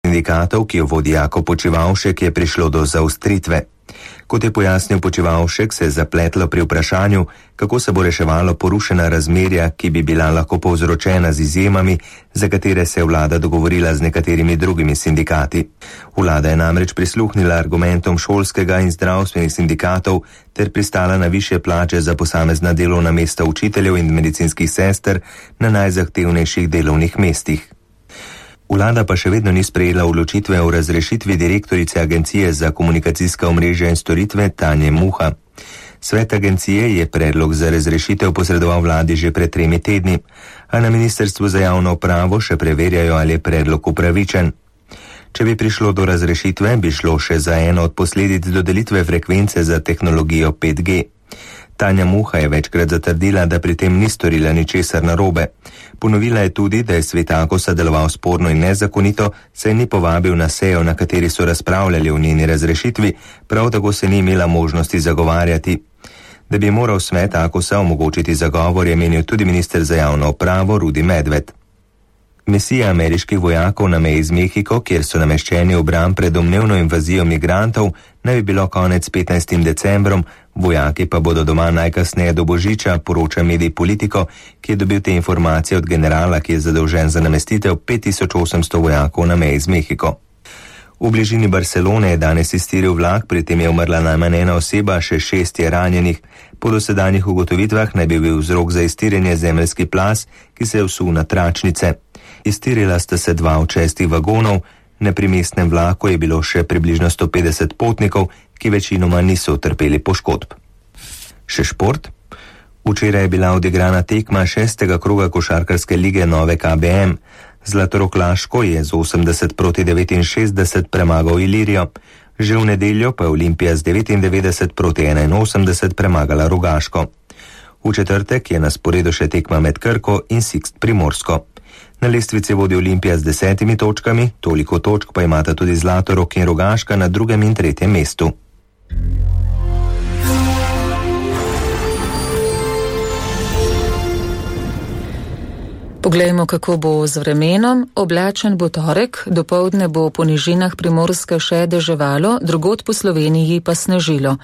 sindikatov, ki jo vodi Jako Počivavšek, je prišlo do zaostritve. Kot je pojasnil Počivavšek, se je zapletlo pri vprašanju, kako se bo reševalo porušena razmerja, ki bi bila lahko povzročena z izjemami, za katere se je vlada dogovorila z nekaterimi drugimi sindikati. Vlada je namreč prisluhnila argumentom šolskega in zdravstvenih sindikatov ter pristala na višje plače za posamezna delovna mesta učiteljev in medicinskih sester na najzahtevnejših delovnih mestih. Vlada pa še vedno ni sprejela odločitve o razrešitvi direktorice Agencije za komunikacijska omrežja in storitve Tanje Muha. Svet agencije je predlog za razrešitev posredoval vladi že pred 3 tedni, a na Ministrstvu za javno upravo še preverjajo, ali je predlog upravičen. Če bi prišlo do razrešitve, bi šlo še za eno od posledic dodelitve frekvence za tehnologijo 5G. Tanja Muha je večkrat zatrdila, da pri tem ni storila ničesar narobe. Ponovila je tudi, da je svet Akosa deloval sporno in nezakonito, saj ni povabil na sejo, na kateri so razpravljali o njeni razrešitvi, prav tako se ni imela možnosti zagovarjati. Da bi moral svet Akosa omogočiti zagovor, je menil tudi minister za javno upravo Rudi Medved. Misija ameriških vojakov na meji z Mehiko, kjer so nameščeni v bran pred domnevno invazijo migrantov, naj bi bilo konec 15. decembrom, vojaki pa bodo doma najkasneje do Božiča, poroča medij Politico, ki je dobil te informacije od generala, ki je zadolžen za namestitev 5800 vojakov na meji z Mehiko. V bližini Barcelone je danes iztiril vlak, pri tem je umrla najmanj 1 oseba, še 6 je ranjenih. Po dosedanjih ugotovitvah naj bi bil vzrok za iztirjenje zemeljski plaz, ki se je vsul na tračnice. Iztirila sta se 2 od 6 vagonov, na primestnem vlaku je bilo še približno 150 potnikov, ki večinoma niso utrpeli poškodb. Še šport. Včeraj je bila odigrana tekma 6. kroga košarkarske lige Nove KBM. Zlatorog Laško je z 80-69 premagal Ilirijo. Že v nedeljo pa je Olimpija z 99-81 premagala Rogaško. V četrtek je na sporedu še tekma med Krko in Sixt Primorsko. Na lestvici vodi Olimpija z 10 točkami, toliko točk pa imata tudi Zlatorog in Rogaška na 2. in 3. mestu. Poglejmo, kako bo z vremenom. Oblačen bo torek, dopoldne bo po nižinah Primorske še deževalo, drugod po Sloveniji pa snežilo.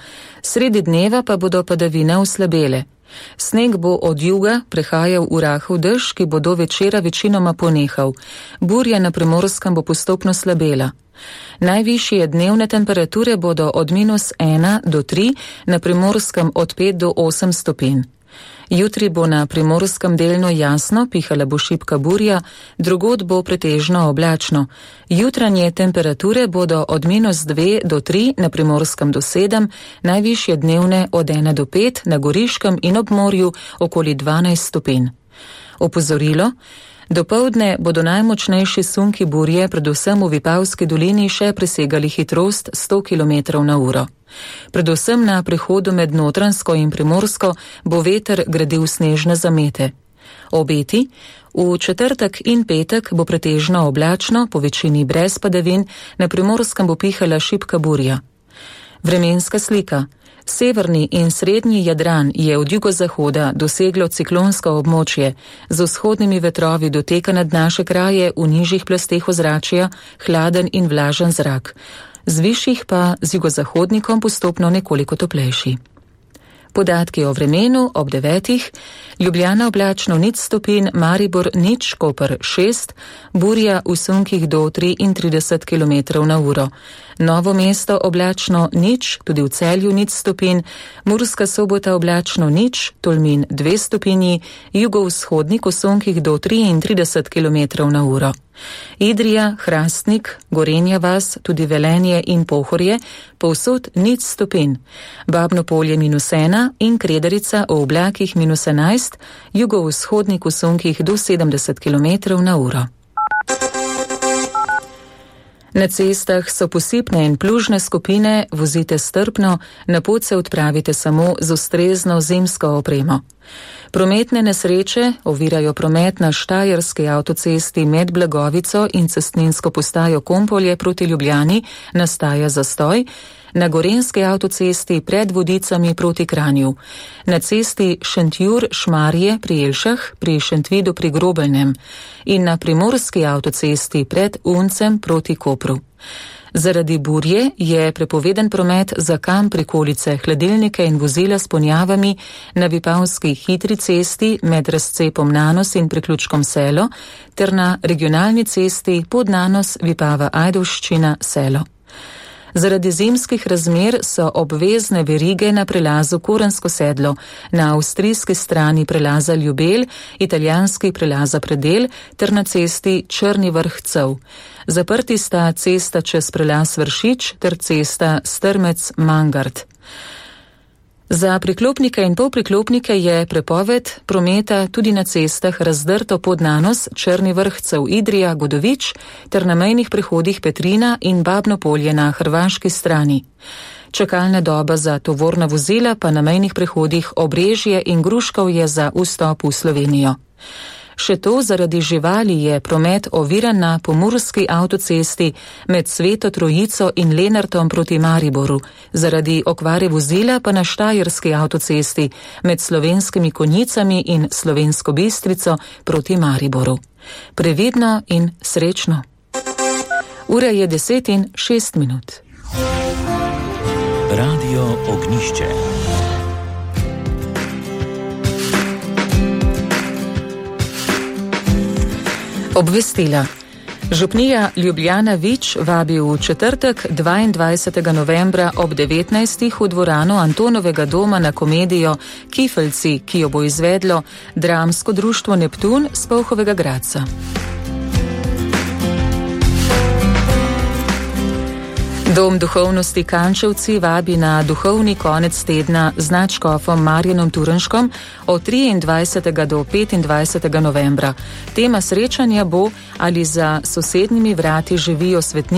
Sredi dneva pa bodo padavine oslabele. Sneg bo od juga prehajal v rahel dež, ki bo do večera večinoma ponehal. Burja na Primorskem bo postopno slabela. Najvišje dnevne temperature bodo od -1 do 3, na Primorskem od 5 do 8 stopinj. Jutri bo na Primorskem delno jasno, pihala bo šibka burja, drugod bo pretežno oblačno. Jutranje temperature bodo od -2 do 3, na Primorskem do 7, najvišje dnevne od 1 do 5, na Goriškem in ob morju okoli 12 stopinj. Opozorilo. Dopoldne bodo najmočnejši sunki burje, predvsem v Vipavski dolini, še presegali hitrost 100 km/h. Predvsem na prehodu med Notranjsko in Primorsko bo veter gradil snežne zamete. Obeti. V četrtek in petek bo pretežno oblačno, po večini brez padavin, na Primorskem bo pihala šibka burja. Vremenska slika. Severni in srednji Jadran je od jugozahoda doseglo ciklonsko območje, z vzhodnimi vetrovi doteka nad naše kraje v nižjih plasteh ozračja hladen in vlažen zrak, z višjih pa z jugozahodnikom postopno nekoliko toplejši. Podatki o vremenu ob 9. Ljubljana oblačno 0 stopinj, Maribor 0, Koper 6, burja v sunkih do 33 km/h. Novo mesto oblačno 0, tudi v Celju 0 stopinj, Murska Sobota oblačno 0, Tolmin 2 stopinji, jugovzhodnik v sunkih do 33 km/h. Idrija, Hrastnik, Gorenja vas, tudi Velenje in Pohorje, povsod 0 stopinj. Babno Polje -1 in Kredarica v oblakih -11, jugovzhodnik v sunkih do 70 km/h. Na cestah so posipne in plužne skupine, vozite strpno, na pot se odpravite samo z ustrezno zimsko opremo. Prometne nesreče ovirajo promet na Štajerski avtocesti med Blagovico in cestninsko postajo Kompolje proti Ljubljani, nastaja zastoj. na Gorenjski avtocesti pred Vodicami proti Kranju, na cesti Šentjur-Šmarje pri Jelšah pri Šentvidu pri Grobelnem in na Primorski avtocesti pred Uncem proti Kopru. Zaradi burje je prepoveden promet za kamp prikolice, hladilnike in vozila s ponjavami na Vipavski hitri cesti med razcepom Nanos in priključkom Selo ter na regionalni cesti Podnanos Vipava Ajdovščina Selo. Zaradi zimskih razmer so obvezne verige na prelazu Korensko sedlo, na avstrijski strani prelaza Ljubelj, italijanski prelaza Predel ter na cesti Črni Vrh-Cev. Zaprti sta cesta čez prelaz Vršič ter cesta Strmec-Mangard. Za priklopnike in polpriklopnike je prepoved prometa tudi na cestah Razdrto Podnanos, Črni Vrh-Cev, Idrija, Godovič ter na mejnih prehodih Petrina in Babno Polje na hrvaški strani. Čakalna doba za tovorna vozila pa na mejnih prehodih Obrežje in Gruškovje za vstop v Slovenijo. Še to, zaradi živali je promet oviran na Pomurski avtocesti med Sveto Trojico in Lenartom proti Mariboru, zaradi okvare vozila pa na Štajerski avtocesti med Slovenskimi Konjicami in Slovensko Bistrico proti Mariboru. Previdno in srečno. Ura je 10:06. Radio Ognjišče. Obvestila. Župnija Ljubljana Vič vabi v četrtek 22. novembra ob 19. v dvorano Antonovega doma na komedijo Kifeljci, ki jo bo izvedlo dramsko društvo Neptun s Polhovega Gradca. Dom duhovnosti Kančevci vabi na duhovni konec tedna z nadškofom Marjanom Turnškom od 23. do 25. novembra. Tema srečanja bo, ali za sosednjimi vrati živijo svetniki